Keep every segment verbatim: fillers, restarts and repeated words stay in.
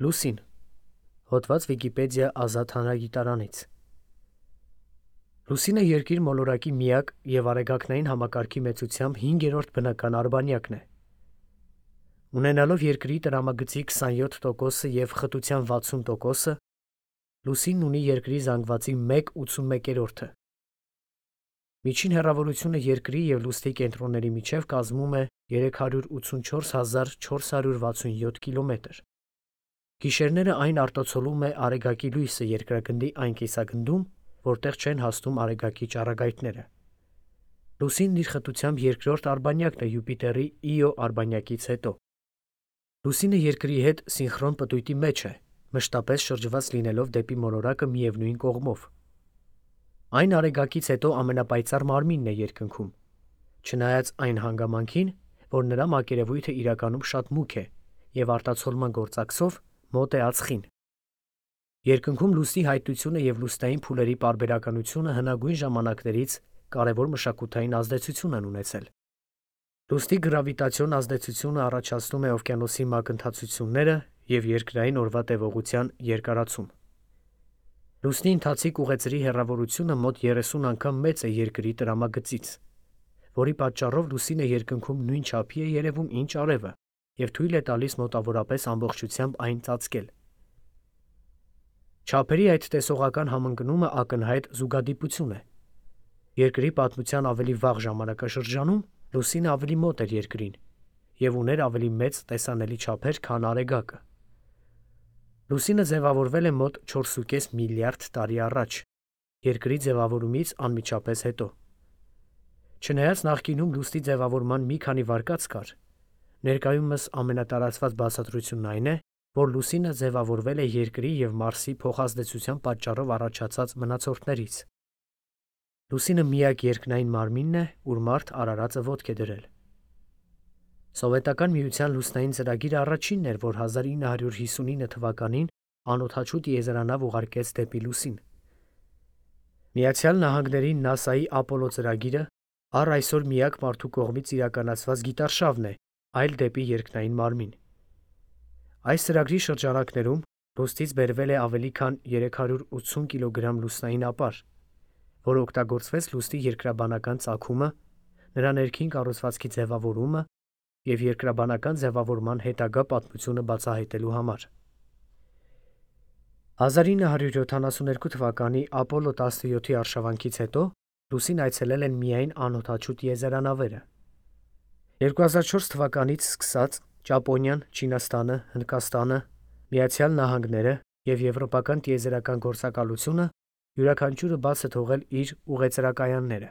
Լուսին։ Հոդված Վիկիպեդիա ազատ հանրագիտարանից։ Լուսինը երկիր մոլորակի միակ և արեգակնային համակարգի մեծությամբ հինգերորդ բնական արբանյակն է։ Ունենալով երկրի տրամագծի քսանյոթ տոկոսը և խտության վաթսուն տոկոսը, Լուսինն ունի երկրի զանգվածի մեկ ութսունմեկերորդը։ Միջին հեռավորությունը երկրի և լուսնի կենտրոնների միջև կազմում է երեք հարյուր ութսունչորս հազար չորս հարյուր վաթսունյոթ կիլոմետր։ Գիշերները այն արտացոլում է արեգակի լույսը երկրագնդի այն կիսագնդում, որտեղ չեն հասնում արեգակի ճառագայթները։ Լուսինն իր խտությամբ երկրորդ արբանյակն է Յուպիտերի Իո արբանյակից հետո։ Լուսինը երկրի հետ սինխրոն պտույտի մեջ է, մշտապես շրջված լինելով դեպի մոլորակը միևնույն կողմով։ Այն արեգակից հետո ամենապայծառ մարմինն է երկնքում, չնայած այն հանգամանքին, որ նրա մակերևույթը իրականում շատ մուգ է և արտացոլման գործակցով մոտ է ածխին։ Երկնքում լուսնի հայտնությունը և լուսնային փուլերի պարբերականությունը հնագույն ժամանակներից կարևոր մշակութային ազդեցություն են ունեցել։ Լուսնի գրավիտացիոն ազդեցությունը առաջացնում է օվկիանոսի մակընթացությունները և երկրային օրվա տևողության երկարացում։ Լուսնի ընթացիկ ուղեծրի հեռավորությունը մոտ երեսուն անգամ մեծ է երկրի տրամագծից, որի պատճառով լուսինը երկնքում նույն չափի է երևում, ինչ արևը, և թույլ է տալիս մոտավորապես ամբողջությամբ այն ծածկել։ Չափերի այդ տեսողական համընկնումը ակնհայտ զուգադիպություն է։ Երկրի պատմության ավելի վաղ ժամանակաշրջանում լուսինը ավելի մոտ էր երկրին և ուներ ավելի մեծ տեսանելի չափեր, քան արեգակը։ Լուսինը ձևավորվել է մոտ չորսուկես միլիարդ տարի առաջ, երկրի ձևավորումից անմիջապես հետո։ Չնայած նախկինում լուսնի ձևավորման մի քանի վարկած կար, ներկայումս ամենատարածված բացատրությունն այն է, որ լուսինը ձևավորվել է երկրի և Մարսի փոխազդեցության պատճառով առաջացած մնացորդներից։ Լուսինը միակ երկնային մարմինն է, ուր մարդ արարածը ոտք է դրել։ Սովետական Միության լուսնային ծրագիրը առաջինն էր, որ հազար ինը հարյուր հիսունինը թվականին անօդաչու տիեզերանավ ուղարկեց դեպի լուսին։ Միացյալ Նահանգների նասայի Ապոլո ծրագիրը առ այսօր միակ մարդու կողմից իրականացված գիտարշավն է այլ դեպի երկնային մարմին։ Այս ծրագրի շրջանակներում լուսնից բերվել է ավելի քան երեք հարյուր ութսուն կիլոգրամ լուսնային ապար, որը օգտագործվեց լուսնի երկրաբանական ծագումը, նրա ներքին կառուցվածքի ձևավորումը և երկրաբանական ձևավորման հետագա պատմությունը բացահայտելու համար։ հազար ինը հարյուր յոթանասունհինգ թվականի Ապոլո տասնյոթի արշավանքից հետո լուսին այցելել են միայն անօդաչու տիեզերանավերը։ երկու հազար չորս թվականից սկսած Ճապոնիան, Չինաստանը, Հնդկաստանը, Միացյալ Նահանգները և եվրոպական տիեզերական գործակալությունը յուրաքանչյուրը բաց է թողել իր ուղեծրակայանները։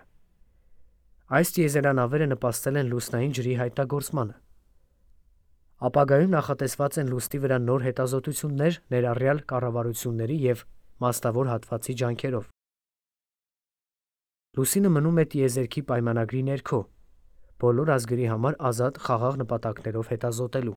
Այս տիեզերանավերը նպաստել են լուսնային ջրի հայտնագործմանը։ Ապագայում նախատեսված են լուսնի վրա նոր հետազոտություններ, ներառյալ կառավարությունների և մասնավոր հատվածի ջանքերով։ Լուսինը մնում է տիեզերքի պայմանագրի ներքո՝ բոլոր ազգերի համար ազատ խաղաղ նպատակներով հետազոտելու։